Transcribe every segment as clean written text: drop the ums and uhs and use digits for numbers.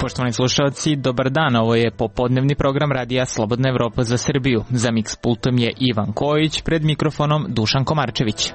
Poštovani slušalci, dobar dan, ovo je popodnevni program radija Slobodna Evropa za Srbiju. Za Mix pultom je Ivan Kojić, pred mikrofonom Dušan Komarčević.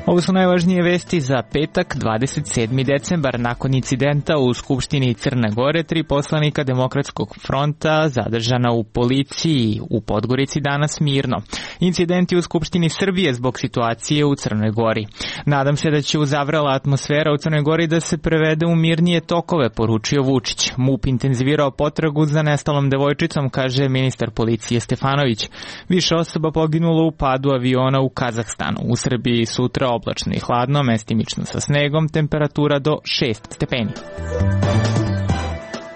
Ovo su najvažnije vesti za petak, 27. decembar. Nakon incidenta u Skupštini Crne Gore, 3 poslanika Demokratskog fronta zadržana u policiji u Podgorici danas mirno. Incidenti u Skupštini Srbije zbog situacije u Crnoj Gori. Nadam se da će uzavrela atmosfera u Crnoj Gori da se prevede u mirnije tokove, poručio Vučić. MUP intenzivirao potragu za nestalom devojčicom, kaže ministar policije Stefanović. Više osoba poginulo u padu aviona u Kazahstanu. U Srbiji sutra oblačno i hladno, mestimično sa snegom, temperatura do 6 stepeni.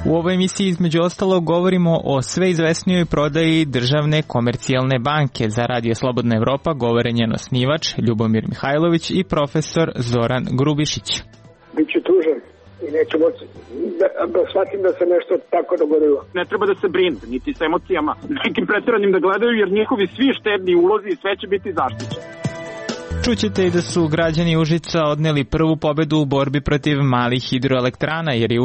U ovoj emisiji između ostalog govorimo o sve izvesnijoj prodaji državne komercijalne banke. Za Radio Slobodna Evropa govore njen osnivač Ljubomir Mihajlović i profesor Zoran Grubišić. Biću tužan i neću moći da shvatim da se nešto tako dogodilo. Ne treba da se brinu, niti sa emocijama, nekim pretjeranim da gledaju, jer njihovi svi štedni ulozi i sve će biti zaštićeni. Čućete i da su građani Užica odneli prvu pobedu u borbi protiv malih hidroelektrana, jer je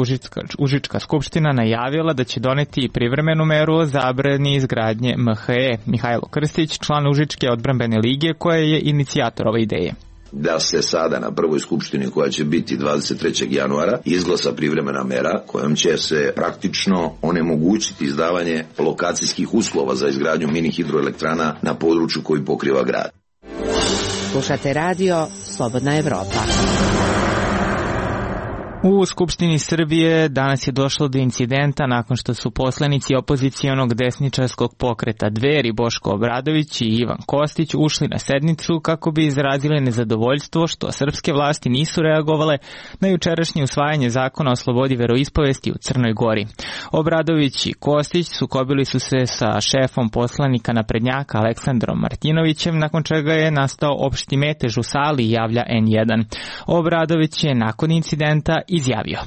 Užička skupština najavila da će doneti privremenu meru o zabrani izgradnje MHE. Mihajlo Krstić, član Užičke odbrambene lige, koja je inicijator ove ideje. Da se sada na prvoj skupštini koja će biti 23. januara izglasa privremena mera kojom će se praktično onemogućiti izdavanje lokacijskih uslova za izgradnju mini hidroelektrana na području koji pokriva grad. Slušate radio Slobodna Evropa. U Skupštini Srbije danas je došlo do incidenta nakon što su poslanici opozicijonog desničarskog pokreta Dveri Boško Obradović i Ivan Kostić ušli na sednicu kako bi izrazili nezadovoljstvo što srpske vlasti nisu reagovale na jučerašnje usvajanje zakona o slobodi veroispovesti u Crnoj Gori. Obradović i Kostić sukobili su se sa šefom poslanika naprednjaka Aleksandrom Martinovićem, nakon čega je nastao opšti metež u sali, javlja N1. Obradović je nakon incidenta izjavio: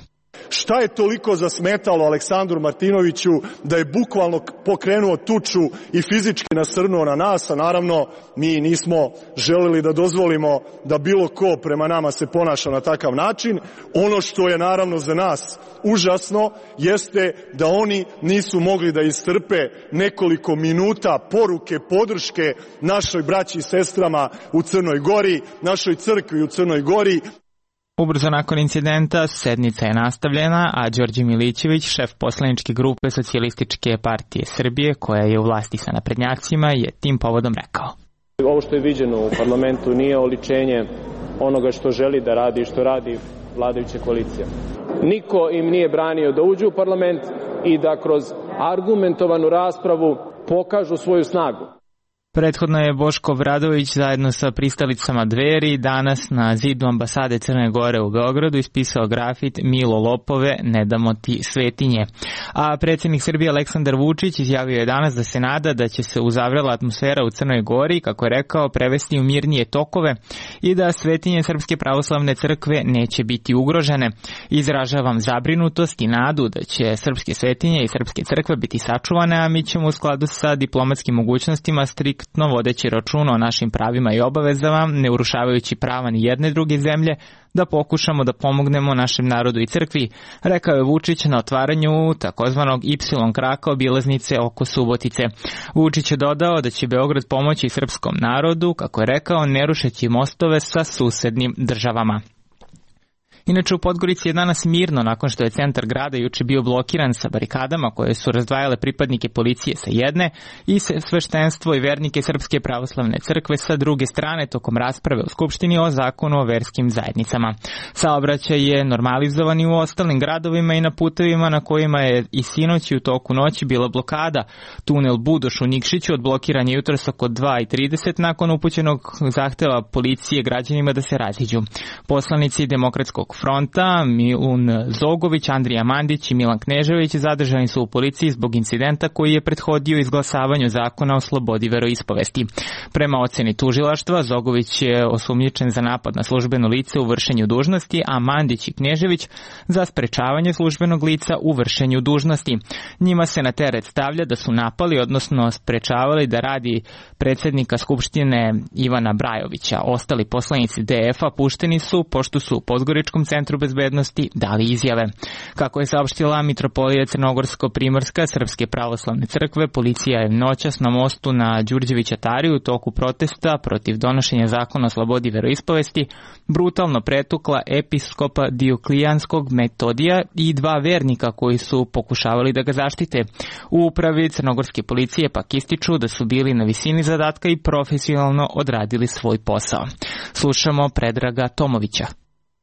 Šta je toliko zasmetalo Aleksandru Martinoviću da je bukvalno pokrenuo tuču i fizički nasrnuo na nas, a naravno mi nismo želeli da dozvolimo da bilo ko prema nama se ponaša na takav način. Ono što je naravno za nas užasno jeste da oni nisu mogli da istrpe nekoliko minuta poruke podrške našoj braći i sestrama u Crnoj Gori, našoj crkvi u Crnoj Gori. Ubrzo nakon incidenta sednica je nastavljena, a Đorđe Milićević, šef poslaničke grupe Socijalističke partije Srbije, koja je u vlasti sa naprednjacima, je tim povodom rekao: Ovo što je viđeno u parlamentu nije oličenje onoga što želi da radi i što radi vladajuća koalicija. Niko im nije branio da uđu u parlament i da kroz argumentovanu raspravu pokažu svoju snagu. Prethodno je Boško Obradović zajedno sa pristalicama Dveri danas na zidu ambasade Crne Gore u Beogradu ispisao grafit "Milo lopove, ne damo ti svetinje". A predsjednik Srbije Aleksandar Vučić izjavio je danas da se nada da će se uzavrela atmosfera u Crnoj Gori, kako je rekao, prevesti u mirnije tokove i da svetinje Srpske pravoslavne crkve neće biti ugrožene. Izražavam zabrinutost i nadu da će srpske svetinje i srpske crkve biti sačuvane, a mi ćemo u skladu sa diplomatskim mogućnostima striktno vodeći računa o našim pravima i obavezama, ne urušavajući prava ni jedne druge zemlje, da pokušamo da pomognemo našem narodu i crkvi, rekao je Vučić na otvaranju takozvanog Y kraka obilaznice oko Subotice. Vučić je dodao da će Beograd pomoći srpskom narodu, kako je rekao, ne rušeći mostove sa susednim državama. Inače, u Podgorici je danas mirno nakon što je centar grada juče bio blokiran sa barikadama koje su razdvajale pripadnike policije sa jedne i sveštenstvo i vernike Srpske pravoslavne crkve sa druge strane tokom rasprave u Skupštini o zakonu o verskim zajednicama. Saobraćaj je normalizovan i u ostalim gradovima i na putevima na kojima je i sinoć i u toku noći bila blokada. Tunel Budoš u Nikšiću odblokiran je jutros oko 2:30 nakon upućenog zahteva policije građanima da se raziđu. Poslanici Demokratskog Narodnog fronta, Milun Zogović, Andrija Mandić i Milan Knežević zadržani su u policiji zbog incidenta koji je prethodio izglasavanju zakona o slobodi veroispovesti. Prema oceni tužilaštva, Zogović je osumnjičen za napad na službeno lice u vršenju dužnosti, a Mandić i Knežević za sprečavanje službenog lica u vršenju dužnosti. Njima se na teret stavlja da su napali, odnosno sprečavali da radi predsjednika Skupštine Ivana Brajovića. Ostali poslanici DF-a pušteni su pošto su u Podgoričkom centru bezbednosti dali izjave. Kako je saopštila Mitropolija Crnogorsko-Primorska Srpske pravoslavne crkve, policija je noćas na mostu na Đurđevića Tari u toku protesta protiv donošenja zakona o slobodi veroispovesti brutalno pretukla episkopa Dioklijanskog Metodija i 2 vernika koji su pokušavali da ga zaštite. U upravi crnogorske policije pak ističu da su bili na visini zadatka i profesionalno odradili svoj posao. Slušamo Predraga Tomovića.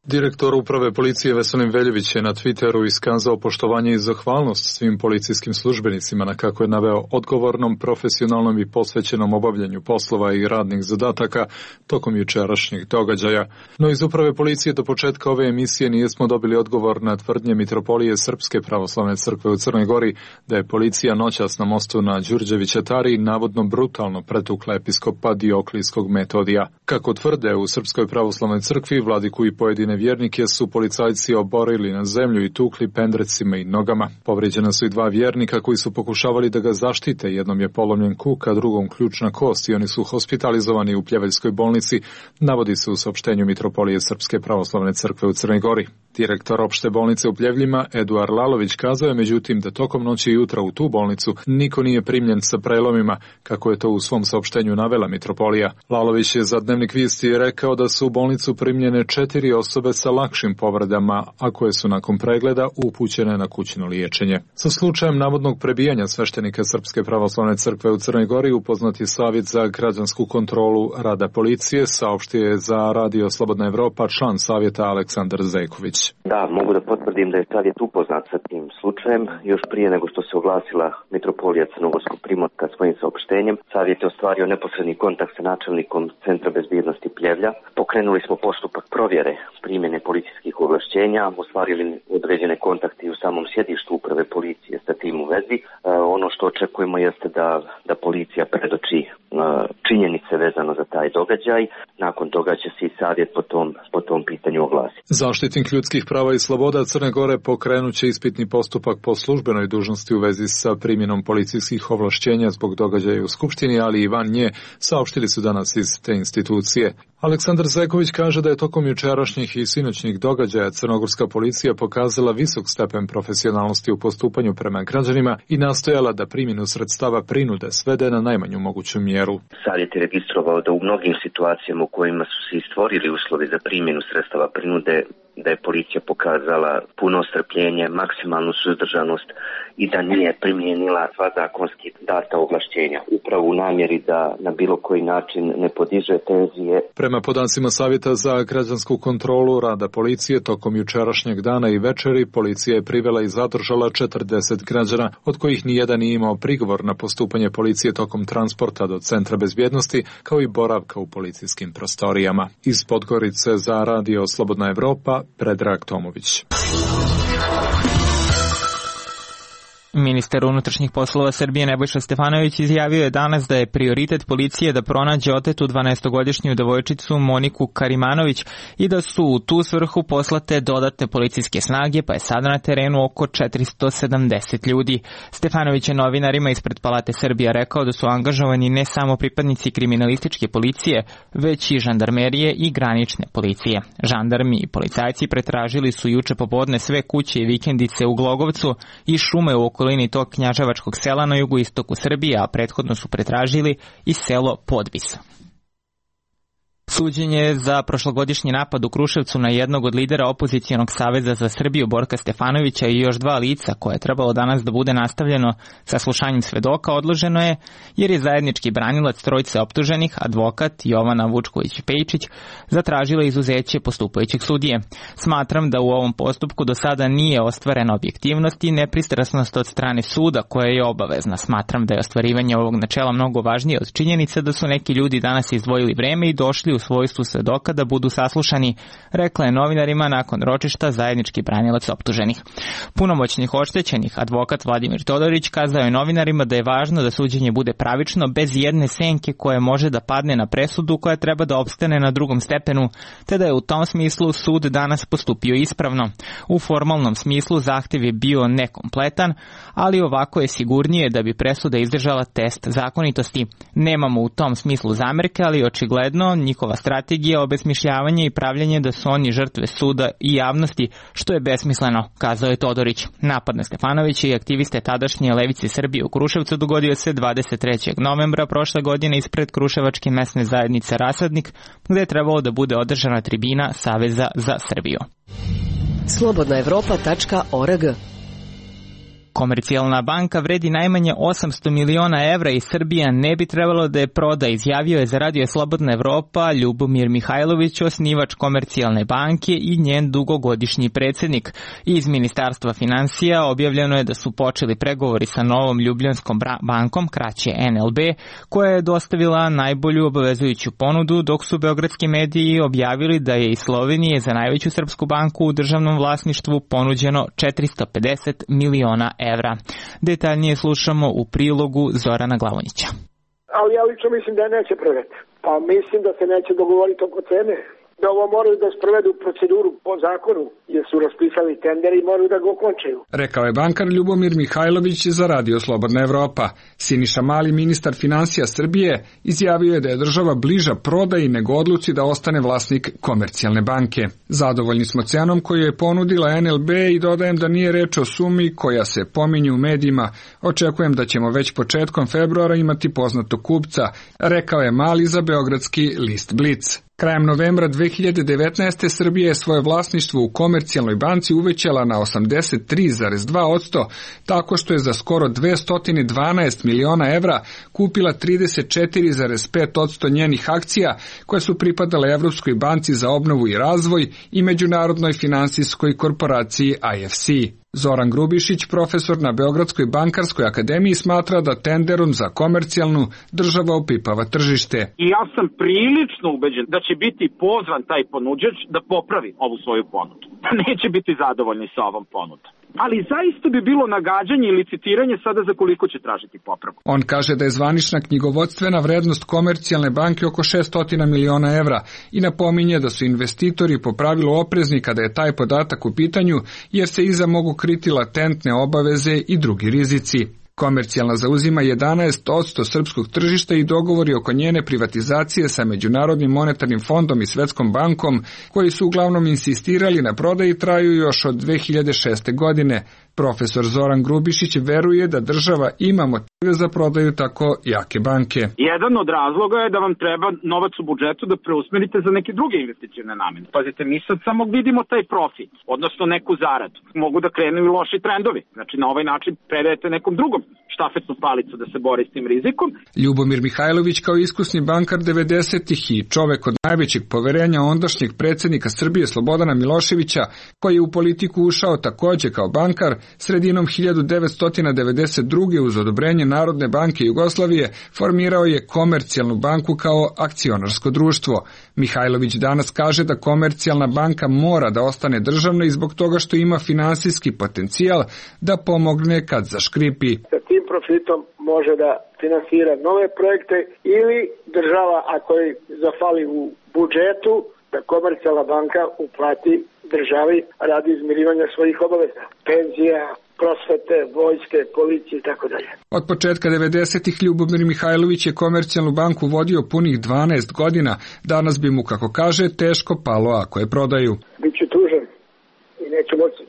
Direktor uprave policije Veselin Veljević je na Twitteru iskazao poštovanje i zahvalnost svim policijskim službenicima na, kako je naveo, odgovornom, profesionalnom i posvećenom obavljanju poslova i radnih zadataka tokom jučerašnjih događaja. No iz uprave policije do početka ove emisije nismo dobili odgovor na tvrdnje Mitropolije Srpske pravoslavne crkve u Crnoj Gori da je policija noćas na mostu na Đurđevića Tari navodno brutalno pretukla episkopa Dioklijskog Metodija. Kako tvrde u Srpskoj pravoslavnoj crkvi, vladiku i pojedine vjernike su policajci oborili na zemlju i tukli pendrecima i nogama. Povrijeđena su i 2 vjernika koji su pokušavali da ga zaštite. Jednom je polomljen kuk, a drugom ključna kost i oni su hospitalizovani u Pljeveljskoj bolnici, navodi se u saopštenju Mitropolije Srpske pravoslavne crkve u Crnoj Gori. Direktor opšte bolnice u Pljevljima, Eduard Lalović, kazao je međutim da tokom noći i jutra u tu bolnicu niko nije primljen sa prelomima, kako je to u svom saopštenju navela Mitropolija. Lalović je za Dnevnik Visti rekao da su u bolnicu primljene 4 osobe sa lakšim povredama, a koje su nakon pregleda upućene na kućno liječenje. Sa slučajem navodnog prebijanja sveštenika Srpske pravoslavne crkve u Crnoj Gori upoznat je Savjet za građansku kontrolu rada policije, saopštio je za Radio Slobodna Evropa član savjeta Aleksandar Zejković. Da, mogu da potvrdim da je savjet upoznat sa tim slučajem. Još prije nego što se oglasila Mitropolija Crnogorsko-Primorska svojim saopštenjem, savjet je ostvario neposredni kontakt sa načelnikom Centra bezbjednosti Pljevlja. Pokrenuli smo postupak provjere primjene policijskih ovlašćenja, ostvarili određene kontakte u samom sjedištu uprave policije sa tim u vezi. Ono što očekujemo jeste da policija predoči činjenice vezano za taj događaj. Nakon toga će se i savjet po tom pitanju oglasiti. Zaštitnik ljudskih prava i sloboda Crne Gore pokrenut će ispitni postupak po službenoj dužnosti u vezi sa primjenom policijskih ovlašćenja zbog događaja u Skupštini, ali i van nje, saopštili su danas iz te institucije. Aleksandar Zeković kaže da je tokom jučerašnjih i sinoćnih događaja crnogorska policija pokazala visok stepen profesionalnosti u postupanju prema građanima i nastojala da primjenu sredstava prinude svede na najmanju moguću mjeru. Savjet je registrovao da u mnogim situacijama u kojima su se stvorili uslovi za primjenu sredstava prinude, da je policija pokazala puno strpljenje, maksimalnu suzdržanost i da nije primijenila sva zakonski data ovlašćenja, upravo u namjeri da na bilo koji način ne podiže tenzije. Prema podacima Savjeta za građansku kontrolu rada policije, tokom jučerašnjeg dana i večeri policija je privela i zadržala 40 građana, od kojih nijedan nije imao prigovor na postupanje policije tokom transporta do Centra bezbjednosti, kao i boravka u policijskim prostorijama. Iz Podgorice za Radio Slobodna Evropa, Predrag Tomović. Ministar unutrašnjih poslova Srbije Nebojša Stefanović izjavio je danas da je prioritet policije da pronađe otetu 12-godišnju devojčicu Moniku Karimanović i da su u tu svrhu poslate dodatne policijske snage, pa je sada na terenu oko 470 ljudi. Stefanović je novinarima ispred Palate Srbija rekao da su angažovani ne samo pripadnici kriminalističke policije, već i žandarmerije i granične policije. Žandarmi i policajci pretražili su juče popodne sve kuće i vikendice u Glogovcu i šume u okolini tog knjaževačkog sela na jugoistoku Srbije, a prethodno su pretražili i selo Podvis. Suđenje za prošlogodišnji napad u Kruševcu na jednog od lidera opozicijonog saveza za Srbiju Borka Stefanovića i još 2 lica koje je trebalo danas da bude nastavljeno sa slušanjem svedoka odloženo je jer je zajednički branilac trojice optuženih, advokat Jovana Vučković-Pejčić, zatražila izuzeće postupajućeg sudije. Smatram da u ovom postupku do sada nije ostvarena objektivnost i nepristrasnost od strane suda koja je obavezna. Smatram da je ostvarivanje ovog načela mnogo važnije od činjenice da su neki ljudi danas izdvojili vreme i došli došli u svojstvu svedoka da budu saslušani, rekla je novinarima nakon ročišta zajednički branilac optuženih. Punomoćnih oštećenih advokat Vladimir Todorić kazao je novinarima da je važno da suđenje bude pravično bez jedne senke koja može da padne na presudu koja treba da opstane na drugom stepenu, te da je u tom smislu sud danas postupio ispravno. U formalnom smislu zahtev je bio nekompletan, ali ovako je sigurnije da bi presuda izdržala test zakonitosti. Nemamo u tom smislu zamerke, ali očigledno njihova strategija obesmišljavanje i pravljanje da su oni žrtve suda i javnosti, što je besmisleno, kazao je Todorić. Napad na Stefanovića i aktiviste tadašnje levice Srbije u Kruševcu dogodio se 23. novembra prošle godine ispred Kruševačke mesne zajednice Rasadnik, gde je trebalo da bude održana tribina Saveza za Srbiju. Slobodnaevropa.org. Komercijalna banka vredi najmanje 800 miliona evra i Srbija ne bi trebalo da je proda, izjavio je za Radio Slobodna Evropa Ljubomir Mihajlović, osnivač Komercijalne banke i njen dugogodišnji predsjednik. Iz Ministarstva finansija objavljeno je da su počeli pregovori sa novom Ljubljanskom bankom, kraće NLB, koja je dostavila najbolju obavezujuću ponudu, dok su beogradski mediji objavili da je iz Slovenije za najveću srpsku banku u državnom vlasništvu ponuđeno 450 miliona evra. Detaljnije slušamo u prilogu Zorana Glavonjića. Ali ja lično mislim da neće prodati. Pa mislim da se neće dogovoriti oko cene. Da ovo moraju da sprovedu proceduru po zakonu, jer su raspisali tender i moraju da ga okončaju. Rekao je bankar Ljubomir Mihajlović za Radio Slobodna Evropa. Siniša Mali, ministar finansija Srbije, izjavio je da je država bliža prodaji nego odluci da ostane vlasnik Komercijalne banke. Zadovoljni smo cenom koju je ponudila NLB i dodajem da nije reč o sumi koja se pominje u medijima. Očekujem da ćemo već početkom februara imati poznatog kupca, rekao je Mali za beogradski list Blic. Krajem novembra 2019. Srbija je svoje vlasništvo u Komercijalnoj banci uvećala na 83,2%, tako što je za skoro 212 miliona evra kupila 34,5% njenih akcija koje su pripadale Evropskoj banci za obnovu i razvoj i Međunarodnoj finansijskoj korporaciji IFC. Zoran Grubišić, profesor na Beogradskoj bankarskoj akademiji, smatra da tenderom za Komercijalnu država opipava tržište. I ja sam prilično ubeđen da će biti pozvan taj ponuđač da popravi ovu svoju ponudu. Neće biti zadovoljni sa ovom ponudom. Ali zaista bi bilo nagađanje i licitiranje sada za koliko će tražiti popravku. On kaže da je zvanična knjigovodstvena vrednost Komercijalne banke oko 600 miliona evra i napominje da su investitori po pravilu oprezni kada je taj podatak u pitanju, jer se iza mogu kriti latentne obaveze i drugi rizici. Komercijalna zauzima 11% srpskog tržišta i dogovori oko njene privatizacije sa Međunarodnim monetarnim fondom i Svetskom bankom, koji su uglavnom insistirali na prodaji, traju još od 2006. godine. Profesor Zoran Grubišić veruje da država ima motive za prodaju tako jake banke. Jedan od razloga je da vam treba novac u budžetu da preusmerite za neke druge investicione namene. Pazite, mi sad samo vidimo taj profit, odnosno neku zaradu. Mogu da krenu i loši trendovi. Znači, na ovaj način predajete nekom drugom štafetnu palicu da se bori s tim rizikom. Ljubomir Mihajlović, kao iskusni bankar 90-ih i čovek od najvećeg poverenja ondašnjeg predsjednika Srbije Slobodana Miloševića, koji je u politiku ušao takođe kao bankar, sredinom 1992. uz odobrenje Narodne banke Jugoslavije formirao je Komercijalnu banku kao akcionarsko društvo. Mihajlović danas kaže da Komercijalna banka mora da ostane državna i zbog toga što ima finansijski potencijal da pomogne kad zaškripi. Sa tim profitom može da finansira nove projekte ili država, ako je zafali u budžetu, da Komercijalna banka uplati državi radi izmirivanja svojih obaveza, penzija, prosvete, vojske, policije i tako dalje. Od početka 90-ih Ljubomir Mihajlović je Komercijalnu banku vodio punih 12 godina. Danas bi mu, kako kaže, teško palo ako je prodaju. Biću tužan i neću moći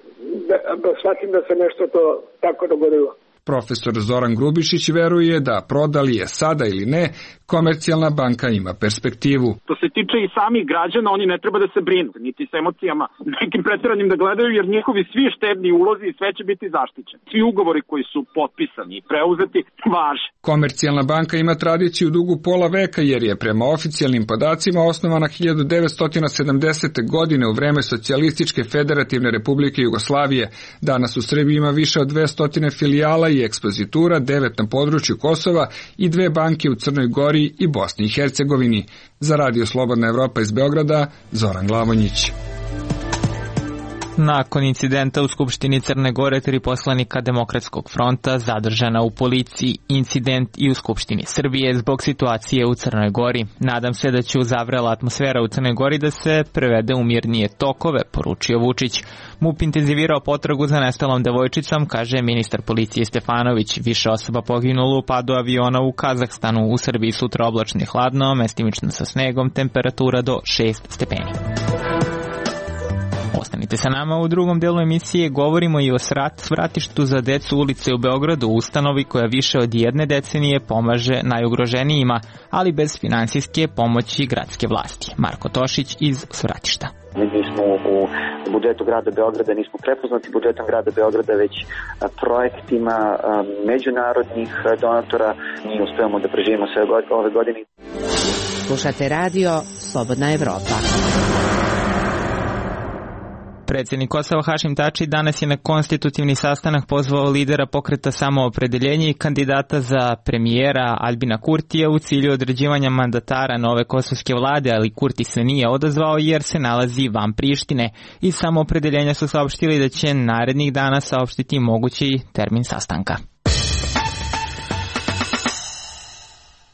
da shvatim da se nešto to tako dogodilo. Profesor Zoran Grubišić veruje da prodali je sada ili ne, Komercijalna banka ima perspektivu. To se tiče i samih građana, oni ne treba da se brinu, niti sa emocijama nekim pretjeranim da gledaju, jer njihovi svi štedni ulozi i sve će biti zaštićeni. Svi ugovori koji su potpisani i preuzeti važe. Komercijalna banka ima tradiciju dugu pola veka, jer je prema oficijalnim podacima osnovana 1970. godine u vreme Socijalističke federativne republike Jugoslavije. Danas u Srbiji ima više od 200 filijala i ekspozitura, 9 na području Kosova i 2 banke u Crnoj Gori i Bosni i Hercegovini. Za Radio Slobodna Evropa iz Beograda, Zoran Glavonjić. Nakon incidenta u Skupštini Crne Gore 3 poslanika Demokratskog fronta zadržana u policiji, incident i u Skupštini Srbije zbog situacije u Crnoj Gori. Nadam se da će uzavrela atmosfera u Crnoj Gori da se prevede u mirnije tokove, poručio Vučić. MUP intenzivirao potragu za nestalom devojčicom, kaže ministar policije Stefanović. Više osoba poginulo u padu aviona u Kazahstanu. U Srbiji sutra oblačno i hladno, mestimično sa snegom, temperatura do 6 stepeni. Ostanite sa nama, u drugom delu emisije govorimo i o svratištu za decu ulice u Beogradu, ustanovi koja više od 1 decenije pomaže najugroženijima, ali bez finansijske pomoći gradske vlasti. Marko Tošić iz svratišta. Mi nismo u budžetu grada Beograda, nismo prepoznati budžetom grada Beograda, već projektima međunarodnih donatora. Mi uspevamo da preživimo sve ove godine. Slušate radio Slobodna Evropa. Predsjednik Kosova Hašim Tači danas je na konstitutivni sastanak pozvao lidera pokreta Samoopredeljenje i kandidata za premijera Albina Kurtija u cilju određivanja mandatara nove kosovske vlade, ali Kurti se nije odazvao jer se nalazi van Prištine. Iz Samoopredeljenja su saopštili da će narednih dana saopštiti mogući termin sastanka.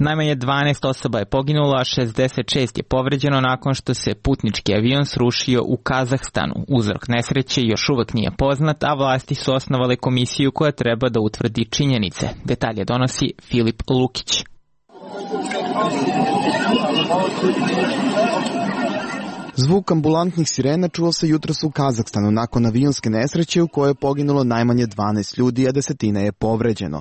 Najmanje 12 osoba je poginulo, a 66 je povređeno nakon što se putnički avion srušio u Kazahstanu. Uzrok nesreće još uvek nije poznat, a vlasti su osnovale komisiju koja treba da utvrdi činjenice. Detalje donosi Filip Lukić. Zvuk ambulantnih sirena čuo se jutros u Kazahstanu nakon avionske nesreće u kojoj je poginulo najmanje 12 ljudi, a desetine je povređeno.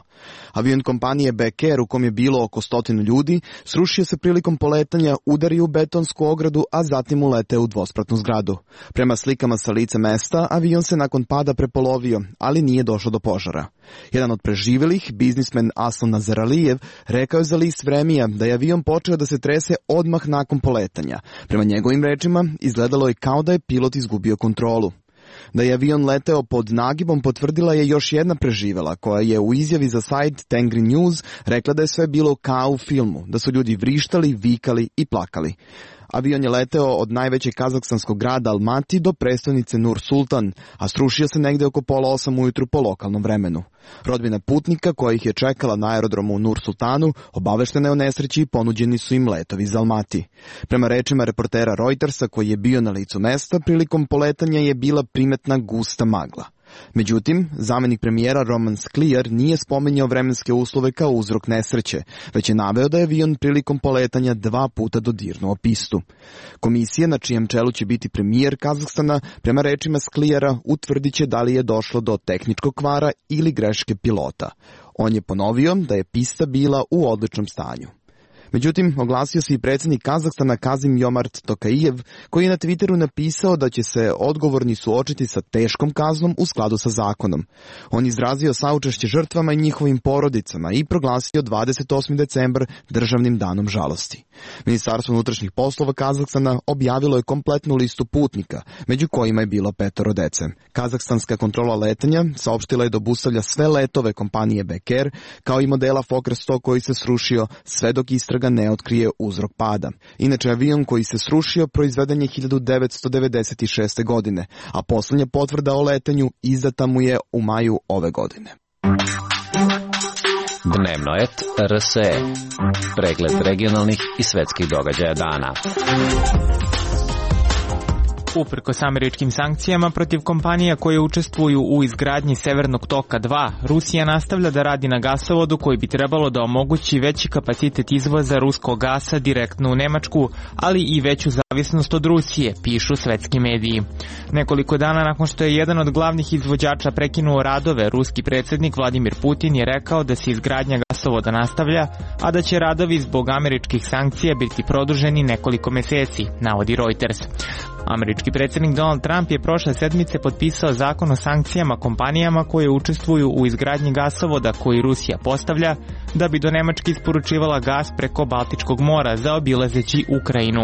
Avion kompanije Beker, u kom je bilo oko 100 ljudi, srušio se prilikom poletanja, udario u betonsku ogradu, a zatim uleteo u dvospratnu zgradu. Prema slikama sa lica mesta, avion se nakon pada prepolovio, ali nije došlo do požara. Jedan od preživjelih, biznismen Aslan Nazaralijev, rekao je za list Vremija da je avion počeo da se trese odmah nakon poletanja. Prema njegovim rečima, izgledalo je kao da je pilot izgubio kontrolu. Da je avion leteo pod nagibom potvrdila je još jedna preživjela, koja je u izjavi za sajt Tengri News rekla da je sve bilo kao u filmu, da su ljudi vrištali, vikali i plakali. Avion je leteo od najvećeg kazahstanskog grada Almati do prestonice Nur Sultan, a srušio se negde oko 7:30 ujutru po lokalnom vremenu. Rodbina putnika koja ih je čekala na aerodromu u Nur Sultanu obaveštena je o nesreći i ponuđeni su im letovi za Almati. Prema rečima reportera Reutersa koji je bio na licu mesta, prilikom poletanja je bila primetna gusta magla. Međutim, zamenik premijera Roman Skliar nije spominjao vremenske uslove kao uzrok nesreće, već je naveo da je avion prilikom poletanja 2 puta dodirnuo pistu. Komisija, na čijem čelu će biti premijer Kazahstana, prema rečima Sklijara utvrdit će da li je došlo do tehničkog kvara ili greške pilota. On je ponovio da je pista bila u odličnom stanju. Međutim, oglasio se i predsjednik Kazahstana Kazim Jomart Tokajev, koji je na Twitteru napisao da će se odgovorni suočiti sa teškom kaznom u skladu sa zakonom. On izrazio saučešće žrtvama i njihovim porodicama i proglasio 28. decembar državnim danom žalosti. Ministarstvo unutrašnjih poslova Kazahstana objavilo je kompletnu listu putnika, među kojima je bilo 5 dece. Kazahstanska kontrola letenja saopštila je da obustavlja sve letove kompanije Beker, kao i modela Fokker 100 koji se srušio sve dok istraga ne otkrije uzrok pada. Inače, avion koji se srušio proizveden je 1996. godine, a posljednja potvrda o letenju izdata mu je u maju ove godine. Dnevno et RSE. Pregled regionalnih i svetskih događaja dana. Uprkos američkim sankcijama protiv kompanija koje učestvuju u izgradnji Severnog toka 2, Rusija nastavlja da radi na gasovodu koji bi trebalo da omogući veći kapacitet izvoza ruskog gasa direktno u Nemačku, ali i veću zavisnost od Rusije, pišu svetski mediji. Nekoliko dana nakon što je jedan od glavnih izvođača prekinuo radove, ruski predsjednik Vladimir Putin je rekao da se izgradnja gasovoda nastavlja, a da će radovi zbog američkih sankcija biti produženi nekoliko meseci, navodi Reuters. Američki predsjednik Donald Trump je prošle sedmice potpisao zakon o sankcijama kompanijama koje učestvuju u izgradnji gasovoda koji Rusija postavlja, da bi do Nemačke isporučivala gas preko Baltičkog mora zaobilazeći Ukrajinu.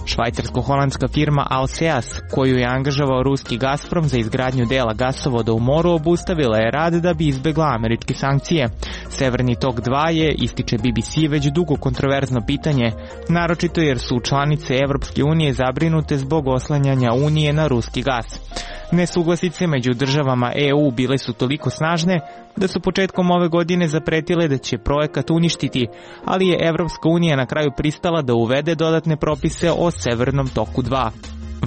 Švajcarsko-holandska firma Alseas, koju je angažovao ruski Gazprom za izgradnju dela gasovoda u moru, obustavila je rad da bi izbegla američke sankcije. Severni tok 2 je, ističe BBC, već dugo kontroverzno pitanje, naročito jer su članice Evropske unije zabrinute zbog oslanjanja Unije na ruski gas. Nesuglasice među državama EU bile su toliko snažne da su početkom ove godine zapretile da će projekat uništiti, ali je Evropska unija na kraju pristala da uvede dodatne propise o Severnom toku 2.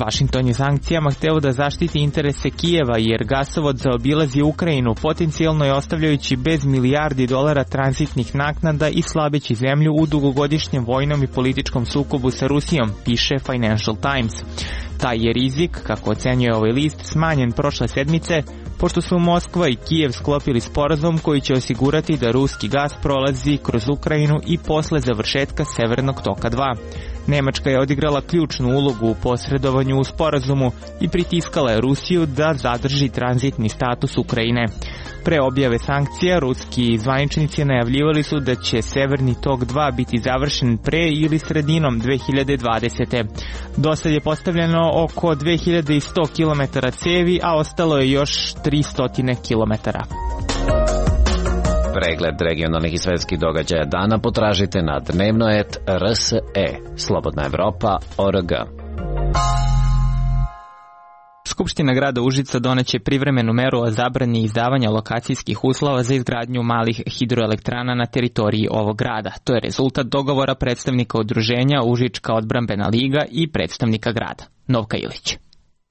Vašington je sankcijama hteo da zaštiti interese Kijeva jer gasovod zaobilazi Ukrajinu, potencijalno je ostavljajući bez milijardi dolara tranzitnih naknada i slabeći zemlju u dugogodišnjem vojnom i političkom sukobu sa Rusijom, piše Financial Times. Taj je rizik, kako ocenjuje ovaj list, smanjen prošle sedmice, pošto su Moskva i Kijev sklopili sporazum koji će osigurati da ruski gas prolazi kroz Ukrajinu i posle završetka Severnog toka 2. Nemačka je odigrala ključnu ulogu u posredovanju u sporazumu i pritiskala je Rusiju da zadrži tranzitni status Ukrajine. Pre objave sankcija, ruski zvaničnici najavljivali su da će Severni tok 2 biti završen pre ili sredinom 2020. Dosad je postavljeno oko 2100 km cevi, a ostalo je još 300 km. Pregled regionalnih i svetskih događaja dana potražite na dnevnoet.rse, Slobodna Evropa.org. Skupština grada Užica doneće privremenu meru o zabrani izdavanja lokacijskih uslova za izgradnju malih hidroelektrana na teritoriji ovog grada. To je rezultat dogovora predstavnika udruženja Užička odbrambena liga i predstavnika grada. Novka Ilić.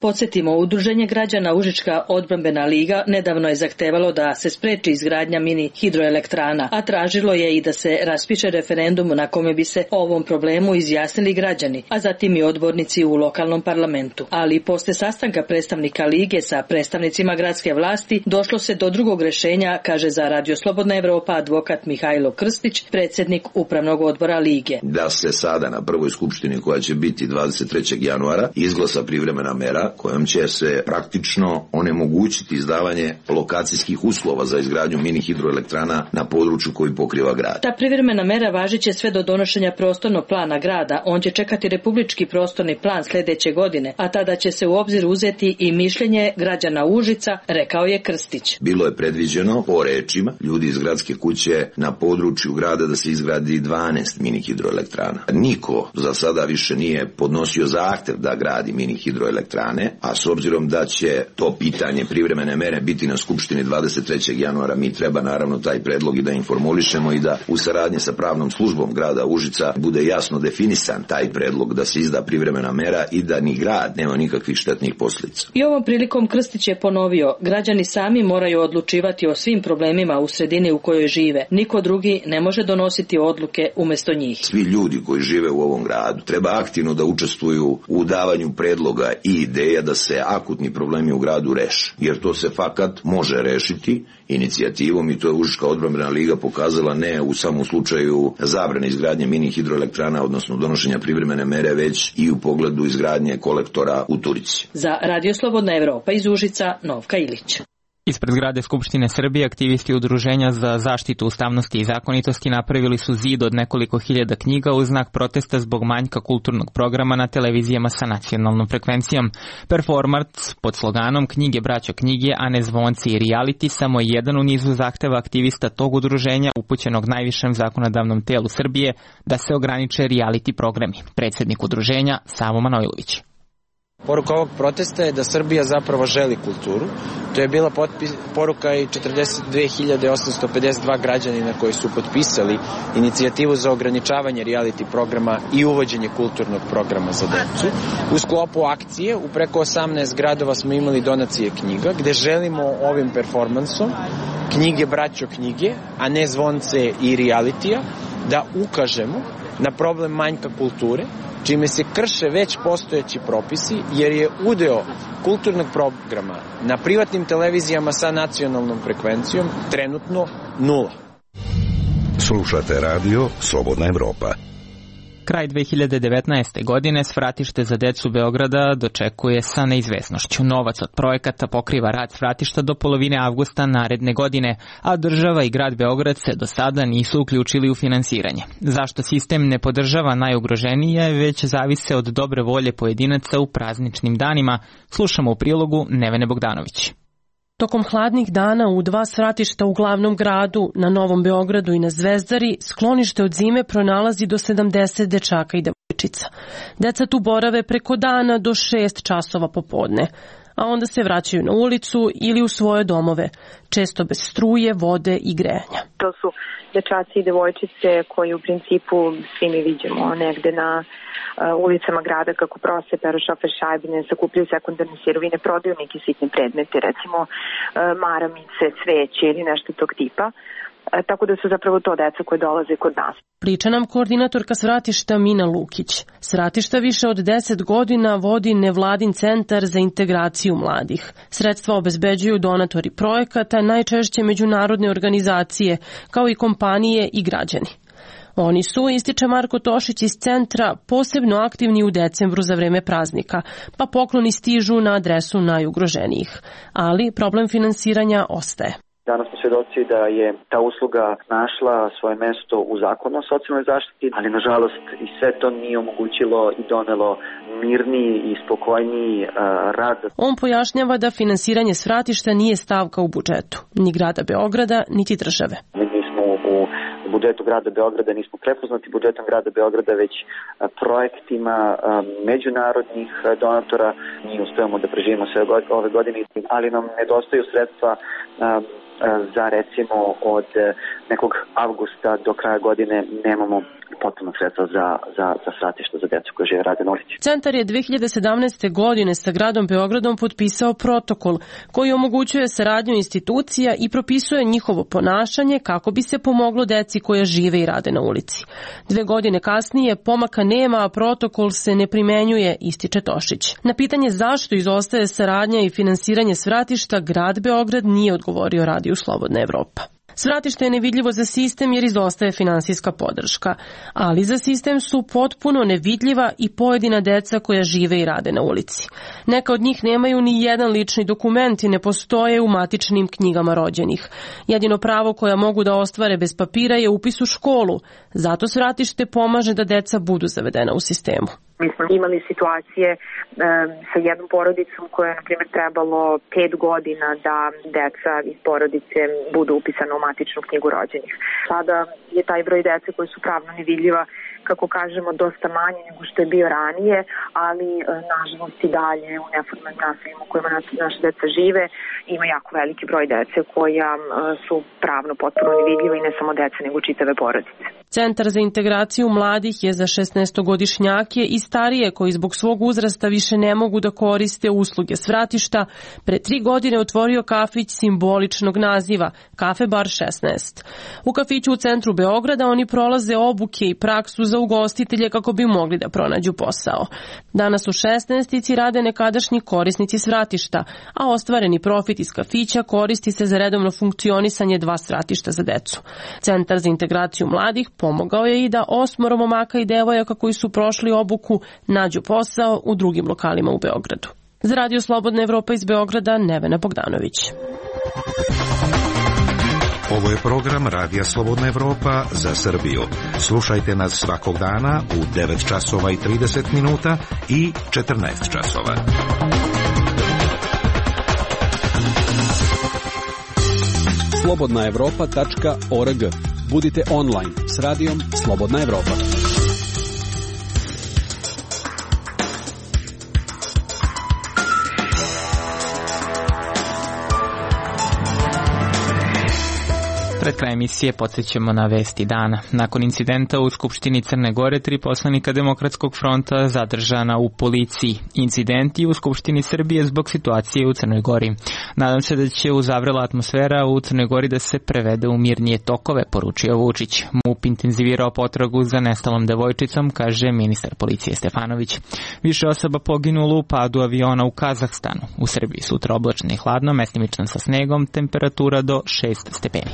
Podsjetimo, Udruženje građana Užička odbrambena liga nedavno je zahtevalo da se spreči izgradnja mini hidroelektrana, a tražilo je i da se raspiše referendum na kome bi se o ovom problemu izjasnili građani, a zatim i odbornici u lokalnom parlamentu. Ali posle sastanka predstavnika lige sa predstavnicima gradske vlasti došlo se do drugog rešenja, kaže za Radio Slobodna Evropa advokat Mihajlo Krstić, predsjednik upravnog odbora lige. Da se sada na prvoj skupštini koja će biti 23. januara izglasa privremena mera kojom će se praktično onemogućiti izdavanje lokacijskih uslova za izgradnju mini hidroelektrana na području koji pokriva grad. Ta privremena mera važiće sve do donošenja prostornog plana grada. On će čekati republički prostorni plan sljedeće godine, a tada će se u obzir uzeti i mišljenje građana Užica, rekao je Krstić. Bilo je predviđeno, po rečima ljudi iz gradske kuće, na području grada da se izgradi 12 mini hidroelektrana. Niko za sada više nije podnosio zahtev da gradi mini hidroelektrane, a s obzirom da će to pitanje privremene mere biti na skupštini 23. januara, mi treba naravno taj predlog i da informulišemo i da u saradnji sa pravnom službom grada Užica bude jasno definisan taj predlog da se izda privremena mera i da ni grad nema nikakvih štetnih posljedica. I ovom prilikom Krstić je ponovio, građani sami moraju odlučivati o svim problemima u sredini u kojoj žive. Niko drugi ne može donositi odluke umjesto njih. Svi ljudi koji žive u ovom gradu treba aktivno da učestvuju u davanju predloga i ideja da se akutni problemi u gradu reše, jer to se fakat može rešiti inicijativom i to je Užička odbrambena liga pokazala ne u samom slučaju zabrane izgradnje mini hidroelektrana, odnosno donošenja privremene mere, već i u pogledu izgradnje kolektora u Turici. Za Radio Slobodna Evropa iz Užica, Novka Ilić. Ispred zgrade Skupštine Srbije aktivisti Udruženja za zaštitu ustavnosti i zakonitosti napravili su zid od nekoliko hiljada knjiga u znak protesta zbog manjka kulturnog programa na televizijama sa nacionalnom frekvencijom. Performans pod sloganom Knjige braćo knjige, a ne zvonci i reality samo je jedan u nizu zahteva aktivista tog udruženja upućenog najvišem zakonodavnom telu Srbije da se ograniče reality programi. Predsjednik udruženja Savo Manojlović. Poruka ovog protesta je da Srbija zapravo želi kulturu. To je bila poruka i 42.852 građanina koji su potpisali inicijativu za ograničavanje reality programa i uvođenje kulturnog programa za decu. U sklopu akcije u preko 18 gradova smo imali donacije knjiga gde želimo ovim performansom Knjige braćo knjige, a ne zvonce i realitija, da ukažemo na problem manjka kulture, čime se krše već postojeći propisi, jer je udeo kulturnog programa na privatnim televizijama sa nacionalnom frekvencijom trenutno 0. Slušate radio Slobodna Evropa. Kraj 2019. godine svratište za decu Beograda dočekuje sa neizvesnošću. Novac od projekata pokriva rad svratišta do polovine avgusta naredne godine, a država i grad Beograd se do sada nisu uključili u finansiranje. Zašto sistem ne podržava najugroženije, već zavise od dobre volje pojedinaca u prazničnim danima, slušamo u prilogu Nevene Bogdanović. Tokom hladnih dana u 2 svratišta u glavnom gradu, na Novom Beogradu i na Zvezdari, sklonište od zime pronalazi do 70 dečaka i devojčica. Deca tu borave preko dana do 6 časova popodne, a onda se vraćaju na ulicu ili u svoje domove, često bez struje, vode i grejanja. To su dečaci i devojčice koji u principu svi mi vidimo negde na ulicama grada kako prose, peru šofer šajbine, sakupljaju sekundarne sirovine, prodaju neke sitne predmete, recimo maramice, cveće ili nešto tog tipa. Tako da su zapravo to deca koje dolaze kod nas. Priča nam koordinatorka svratišta Mina Lukić. Svratišta više od 10 godina vodi nevladin centar za integraciju mladih. Sredstva obezbeđuju donatori projekata, najčešće međunarodne organizacije, kao i kompanije i građani. Oni su, ističe Marko Tošić iz centra, posebno aktivni u decembru za vreme praznika, pa pokloni stižu na adresu najugroženijih. Ali problem finansiranja ostaje. Danas smo svjedoci da je ta usluga našla svoje mesto u zakonu o socijalnoj zaštiti, ali nažalost i sve to nije omogućilo i donelo mirniji i spokojniji rad. On pojašnjava da finansiranje svratišta nije stavka u budžetu, ni grada Beograda, niti države. Mi smo u budžetu grada Beograda nismo prepoznati budžetom grada Beograda, već projektima međunarodnih donatora. Mi uspevamo da preživimo sve ove godine, ali nam nedostaju sredstva za recimo od nekog avgusta do kraja godine nemamo potpuno sredstva za svratišta za decu koje žive rade na ulici. Centar je 2017. godine sa gradom Beogradom potpisao protokol koji omogućuje saradnju institucija i propisuje njihovo ponašanje kako bi se pomoglo deci koja žive i rade na ulici. 2 godine kasnije pomaka nema, a protokol se ne primenjuje, ističe Tošić. Na pitanje zašto izostaje saradnja i finansiranje svratišta, grad Beograd nije odgovorio Radiju Slobodna Evropa. Svratište je nevidljivo za sistem jer izostaje finansijska podrška, ali za sistem su potpuno nevidljiva i pojedina deca koja žive i rade na ulici. Neka od njih nemaju ni jedan lični dokument i ne postoje u matičnim knjigama rođenih. Jedino pravo koja mogu da ostvare bez papira je upis u školu, zato svratište pomaže da deca budu zavedena u sistemu. Mi smo imali situacije sa jednom porodicom koja je, na primjer, trebalo 5 godina da deca iz porodice budu upisana u matičnu knjigu rođenih. Sada je taj broj dece koji su pravno nevidljiva, kako kažemo, dosta manje nego što je bio ranije, ali nažalost i dalje u neformalnim naseljima u kojima naše deca žive ima jako veliki broj dece koja su pravno potpuno nevidljiva i ne samo deca nego čitave porodice. Centar za integraciju mladih je za 16-godišnjake i starije koji zbog svog uzrasta više ne mogu da koriste usluge svratišta pre 3 godine otvorio kafić simboličnog naziva Kafe Bar 16. U kafiću u centru Beograda oni prolaze obuke i praksu za ugostitelje kako bi mogli da pronađu posao. Danas u 16-ici rade nekadašnji korisnici svratišta, a ostvareni profit iz kafića koristi se za redovno funkcionisanje 2 svratišta za decu. Centar za integraciju mladih pomogao je i da 8 momaka i devojaka koji su prošli obuku nađu posao u drugim lokalima u Beogradu. Za Radio Slobodna Evropa iz Beograda, Nevena Bogdanović. Ovo je program Radija Slobodna Evropa za Srbiju. Slušajte nas svakog dana u 9 časova i 30 minuta i 14 časova. slobodnaevropa.org. Budite online s radijom Slobodna Evropa. Pred krajem emisije podsjećamo na vesti dana. Nakon incidenta u Skupštini Crne Gore, 3 poslanika Demokratskog fronta zadržana u policiji. Incidenti u Skupštini Srbije zbog situacije u Crnoj Gori. Nadam se da će uzavrela atmosfera u Crnoj Gori da se prevede u mirnije tokove, poručio Vučić. MUP intenzivirao potragu za nestalom devojčicom, kaže ministar policije Stefanović. Više osoba poginulo u padu aviona u Kazahstanu. U Srbiji sutra oblačno i hladno, mestimično sa snegom, temperatura do 6 stepeni.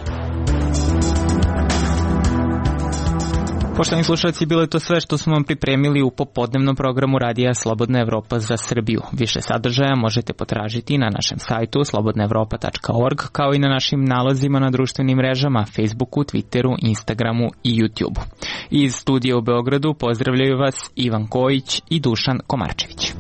Poštovani slušalci, bilo je to sve što smo vam pripremili u popodnevnom programu Radija Slobodna Evropa za Srbiju. Više sadržaja možete potražiti na našem sajtu slobodnaevropa.org, kao i na našim nalozima na društvenim mrežama Facebooku, Twitteru, Instagramu i YouTubeu. Iz studija u Beogradu pozdravljaju vas Ivan Kojić i Dušan Komarčević.